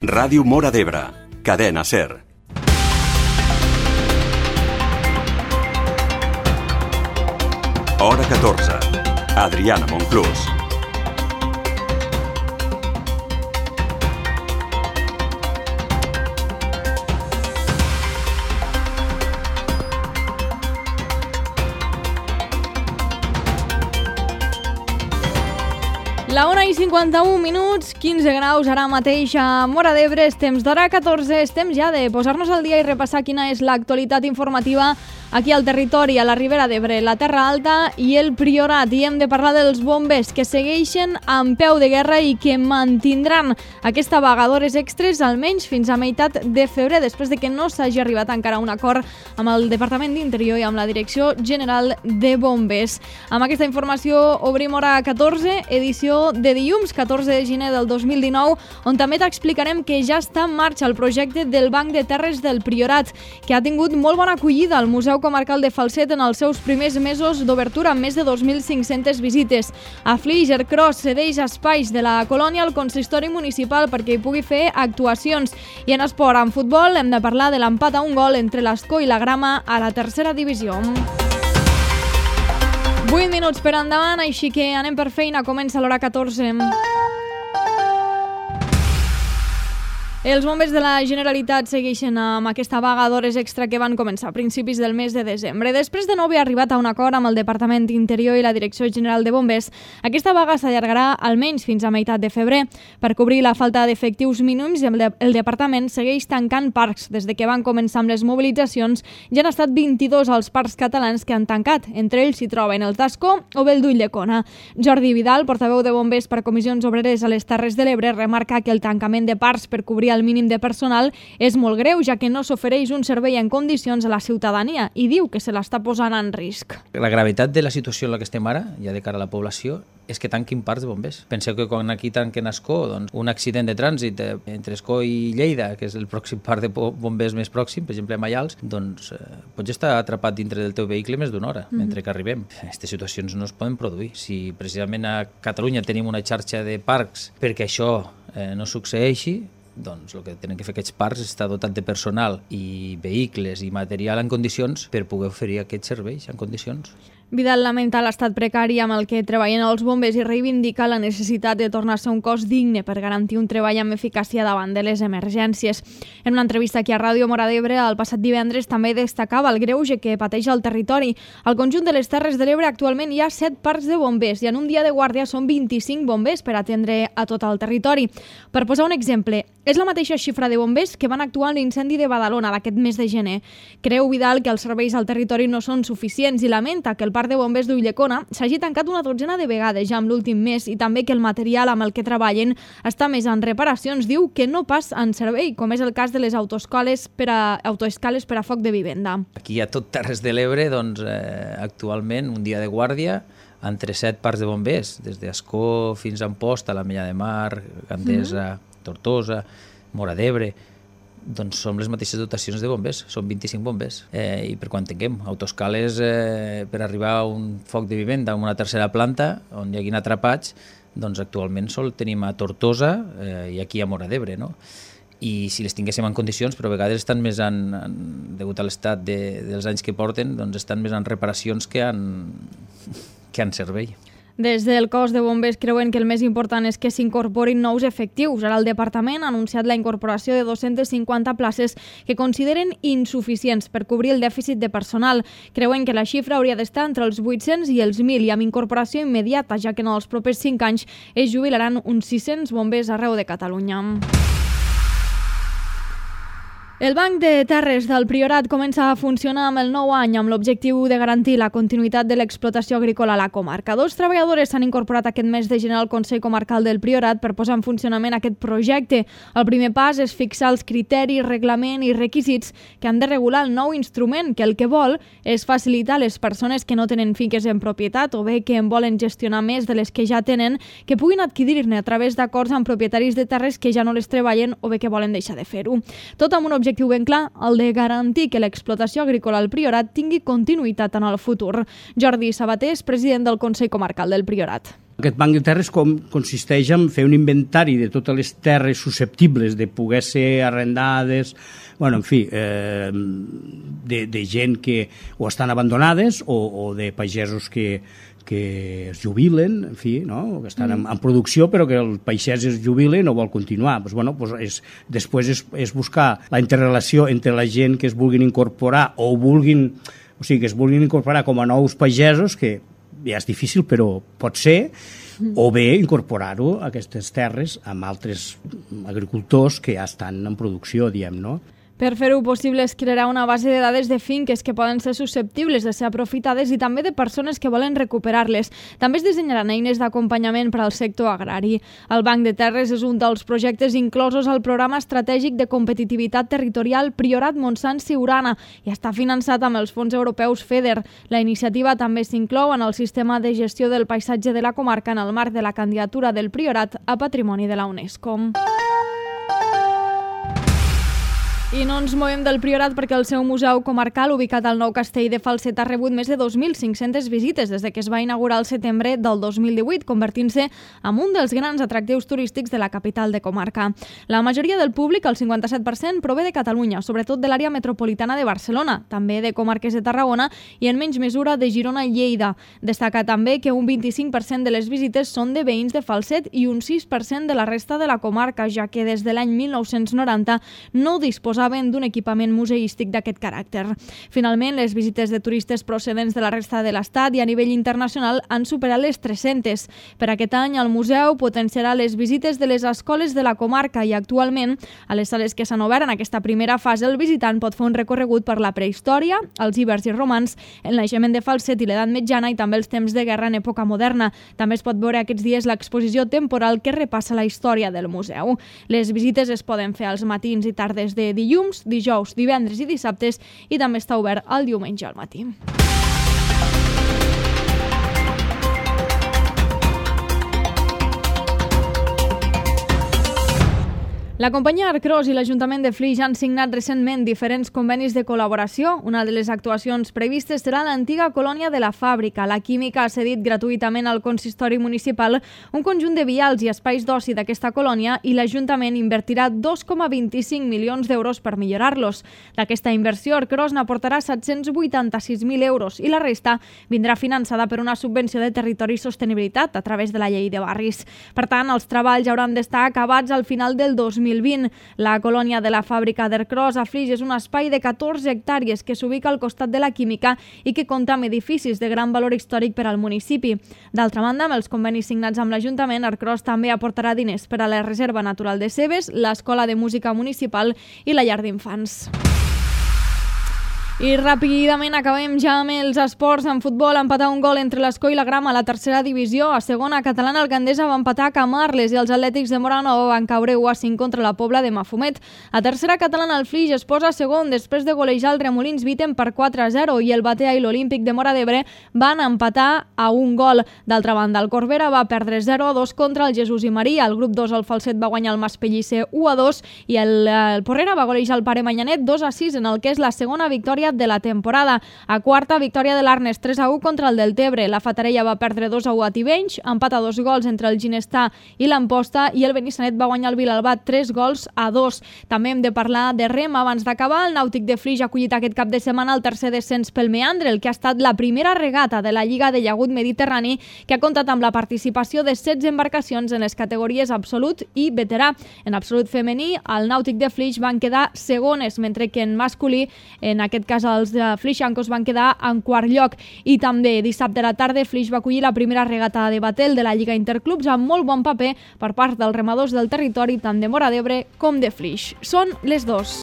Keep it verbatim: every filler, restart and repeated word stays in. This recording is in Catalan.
Ràdio Móra d'Ebre, Cadena SER. Hora catorze. Adriana Monclús. La una i cinquanta-un minuts, quinze graus ara mateix a Móra d'Ebre, és temps d'hora catorze, és temps ja de posar-nos al dia i repassar quina és l'actualitat informativa aquí al territori, a la Ribera d'Ebre, la Terra Alta i el Priorat. I hem de parlar dels bombers que segueixen amb peu de guerra i que mantindran aquesta vaga d'hores extres almenys fins a meitat de febrer, després de que no s'hagi arribat encara a un acord amb el Departament d'Interior i amb la Direcció General de Bombers. Amb aquesta informació obrim hora catorze, edició de dilluns catorze de gener del dos mil dinou, on també t'explicarem que ja està en marxa el projecte del Banc de Terres del Priorat, que ha tingut molt bona acollida al Museu Comarcal de Falset en els seus primers mesos d'obertura, amb més de dos mil cinc-centes visites. A Flix, Cross cedeix espais de la colònia al consistori municipal perquè hi pugui fer actuacions. I en esport, en futbol, hem de parlar de l'empat a un gol entre l'Escó i la Grama a la tercera divisió. vuit minuts per endavant, així que anem per feina. Comença l'hora catorze. Els bombers de la Generalitat segueixen amb aquesta vaga d'hores extra que van començar a principis del mes de desembre. Després de no haver arribat a un acord amb el Departament d'Interior i la Direcció General de Bombers, aquesta vaga s'allargarà almenys fins a meitat de febrer. Per cobrir la falta d'efectius mínims, el, de, el Departament segueix tancant parcs. Des de que van començar amb les mobilitzacions, ja han estat vint-i-dos els parcs catalans que han tancat. Entre ells s'hi troben el d'Ascó o el d'Ulldecona. Jordi Vidal, portaveu de Bombers per Comissions Obreres a les Terres de l'Ebre, remarca que el tancament de parcs per cobrir el mínim de personal és molt greu, ja que no s'ofereix un servei en condicions a la ciutadania, i diu que se l'està posant en risc. La gravetat de la situació en la que estem ara, ja de cara a la població, és que tanquin parcs de bombers. Penseu que quan aquí tanquen Ascó, doncs, un accident de trànsit entre Ascó i Lleida, que és el pròxim parc de bombers més pròxim, per exemple a Maials, doncs eh, pots estar atrapat dintre del teu vehicle més d'una hora, mm-hmm. mentre que arribem. Aquestes situacions no es poden produir. Si precisament a Catalunya tenim una xarxa de parcs perquè això eh, no succeeixi, doncs el que tenen que fer aquests parcs és estar dotat de personal i vehicles i material en condicions per poder oferir aquests serveis en condicions. Vidal lamenta l'estat precari amb el que treballen els bombers i reivindica la necessitat de tornar-se un cos digne per garantir un treball amb eficàcia davant de les emergències. En una entrevista aquí a Ràdio Móra d'Ebre el passat divendres també destacava el greuge que pateix el territori. Al conjunt de les Terres de l'Ebre actualment hi ha set parcs de bombers i en un dia de guàrdia són vint-i-cinc bombers per atendre a tot el territori. Per posar un exemple, és la mateixa xifra de bombers que van actuar en l'incendi de Badalona d'aquest mes de gener. Creu Vidal que els serveis al territori no són suficients i lamenta que el parc de bombers d'Ulldecona s'hagi tancat una dotzena de vegades ja amb l'últim mes i també que el material amb el que treballen està més en reparacions. Diu que no pas en servei, com és el cas de les autoescales per a, autoescales per a foc de vivenda. Aquí a tot Terres de l'Ebre, doncs, eh, actualment, un dia de guàrdia entre set parcs de bombers, des d'Ascó fins a Amposta, la Mella de Mar, Gandesa, mm. Tortosa, Móra d'Ebre, doncs són les mateixes dotacions de bombers, són vint-i-cinc bombers. Eh, I per quan tinguem autoescales eh, per arribar a un foc de vivenda en una tercera planta, on hi haguin atrapats, doncs actualment sol tenim a Tortosa eh, i aquí a Móra d'Ebre, no? I si les tinguéssim en condicions, però a vegades estan més en, en degut a l'estat de, dels anys que porten, doncs estan més en reparacions que en, que en servei. Des del cos de bombers creuen que el més important és que s'incorporin nous efectius. Ara el departament ha anunciat la incorporació de dos-centes cinquanta places que consideren insuficients per cobrir el dèficit de personal. Creuen que la xifra hauria d'estar entre els vuit-cents i els mil i amb incorporació immediata, ja que en els propers cinc anys es jubilaran uns sis-cents bombers arreu de Catalunya. El Banc de Terres del Priorat comença a funcionar amb el nou any amb l'objectiu de garantir la continuïtat de l'explotació agrícola a la comarca. Dos treballadores s'han incorporat aquest mes de gener al Consell Comarcal del Priorat per posar en funcionament aquest projecte. El primer pas és fixar els criteris, reglament i requisits que han de regular el nou instrument, que el que vol és facilitar a les persones que no tenen finques en propietat o bé que en volen gestionar més de les que ja tenen, que puguin adquirir-ne a través d'acords amb propietaris de terres que ja no les treballen o bé que volen deixar de fer-ho. Tot amb un objectiu objectiu ben clar, el de garantir que l'explotació agrícola al Priorat tingui continuïtat en el futur. Jordi Sabater és president del Consell Comarcal del Priorat. Aquest banc de terres com consisteix en fer un inventari de totes les terres susceptibles de poder ser arrendades, bueno, en fi, eh, de, de gent que o estan abandonades o, o de pagesos que, que es jubilen, en fi, no? Que estan en, en producció però que el pagès es jubila i no vol continuar. Pues, bueno, pues és, després és, és buscar la interrelació entre la gent que es vulguin incorporar o vulguin, o sigui, que es vulguin incorporar com a nous pagesos, que ja és difícil, però pot ser, o bé incorporar-ho a aquestes terres amb altres agricultors que ja estan en producció, diem, no? Per fer-ho possible es crearà una base de dades de finques que poden ser susceptibles de ser aprofitades i també de persones que volen recuperar-les. També es dissenyaran eines d'acompanyament per al sector agrari. El Banc de Terres és un dels projectes inclosos al Programa Estratègic de Competitivitat Territorial Priorat Montsant Siurana i està finançat amb els fons europeus FEDER. La iniciativa també s'inclou en el sistema de gestió del paisatge de la comarca en el marc de la candidatura del Priorat a Patrimoni de la UNESCO. I no ens movem del Priorat perquè el seu museu comarcal, ubicat al nou castell de Falset, ha rebut més de dos mil cinc-centes visites des de que es va inaugurar el setembre del dos mil divuit, convertint-se en un dels grans atractius turístics de la capital de comarca. La majoria del públic, el cinquanta-set per cent, prové de Catalunya, sobretot de l'àrea metropolitana de Barcelona, també de comarques de Tarragona i en menys mesura de Girona i Lleida. Destaca també que un vint-i-cinc per cent de les visites són de veïns de Falset i un sis per cent de la resta de la comarca, ja que des de l'any mil nou-cents noranta no disposa d'un equipament museístic d'aquest caràcter. Finalment, les visites de turistes procedents de la resta de l'Estat i a nivell internacional han superat les tres-centes. Per aquest any, el museu potenciarà les visites de les escoles de la comarca i actualment, a les sales que s'han obert en aquesta primera fase, el visitant pot fer un recorregut per la prehistòria, els ibers i romans, el naixement de Falset i l'edat mitjana i també els temps de guerra en època moderna. També es pot veure aquests dies l'exposició temporal que repassa la història del museu. Les visites es poden fer als matins i tardes de dilluns, dijous, divendres i dissabtes i també està obert el diumenge al matí. La companyia Arcros i l'Ajuntament de Flix han signat recentment diferents convenis de col·laboració. Una de les actuacions previstes serà l'antiga colònia de la fàbrica. La Química ha cedit gratuïtament al consistori municipal un conjunt de vials i espais d'oci d'aquesta colònia i l'Ajuntament invertirà dos coma vint-i-cinc milions d'euros per millorar-los. D'aquesta inversió, Arcros n'aportarà set-cents vuitanta-sis mil euros i la resta vindrà finançada per una subvenció de territori i sostenibilitat a través de la llei de barris. Per tant, els treballs hauran d'estar acabats al final del dos mil vint. La colònia de la fàbrica d'Arcros a Flix és un espai de catorze hectàrees que s'ubica al costat de la Química i que compta amb edificis de gran valor històric per al municipi. D'altra banda, amb els convenis signats amb l'Ajuntament, Arcros també aportarà diners per a la Reserva Natural de Cebes, l'Escola de Música Municipal i la Llar d'Infants. I ràpidament acabem ja amb els esports. En futbol, empatar un gol entre l'Escó i la Grama a la tercera divisió. A segona catalana, el Gandesa va empatar a Camarles i els Atlètics de Móra-Nova van caure u a cinc contra la Pobla de Mafumet. A tercera catalana, el Flix es posa segon després de golejar el Remolins Viten per quatre a zero i el Batea i l'Olímpic de Móra d'Ebre van empatar a un gol. D'altra banda, el Corbera va perdre zero a dos contra el Jesús i Maria. El grup dos, el Falset, va guanyar el Maspellicer u a dos i el, el Porrera va golejar el Pare Manyanet dos a sis en el que és la segona victòria de la temporada. A quarta, victòria de l'Arnes tres a u contra el Deltebre. La Fatarella va perdre dos a u a Tivenys, empat a dos gols entre el Ginestà i l'Amposta i el Benissanet va guanyar el Vilalbat tres gols a dos. També hem de parlar de rem abans d'acabar. El Nàutic de Flix ha acollit aquest cap de setmana el tercer descens pel Meandre, el que ha estat la primera regata de la Lliga de Llagut Mediterrani, que ha comptat amb la participació de setze embarcacions en les categories absolut i veterà. En absolut femení, el Nàutic de Flix van quedar segones, mentre que en masculí, en aquest cas els de Flixancos, van quedar en quart lloc. I també dissabte a la tarda Flix va acollir la primera regata de Batel de la Lliga Interclubs amb molt bon paper per part dels remadors del territori tant de Móra d'Ebre com de Flix. Són les dos.